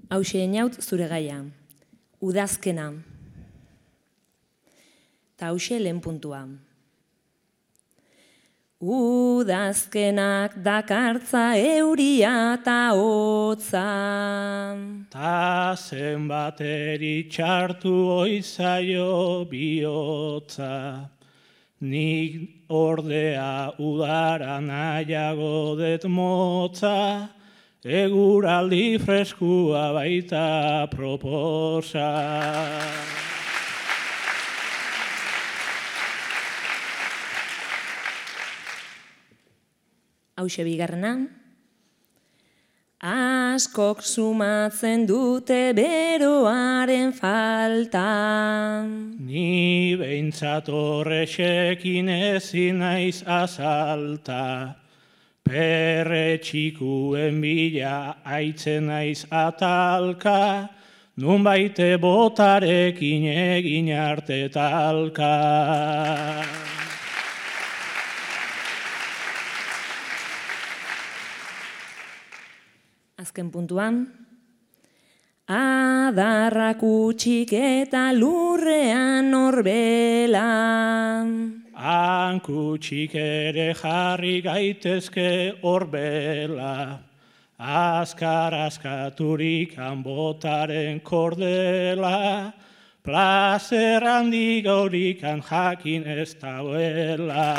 Hauxe einaut zure gaia. Udazkena. Ta hauxe lehen puntua. Udazkenak dakartza euria ta hotza. Ta zenbat eritxartu oizaio bihotza. Nik ordea udara nahiago det motza, eguraldi freskua baita proposa. Hauxe bigarrena. Askok sumatzen dute beroaren falta. Ni behintzat horrexekin ezin naiz azalta. Perre txikuen bila aitzen naiz atalka, nun baite botarekin egin arte talka. Azken puntuan. Adarrak utxik eta lurrean orbela. Hankutsik ere jarri gaitezke horbela, azkar askaturik botaren kordela, plazer handi gaurikan jakin ez dauela.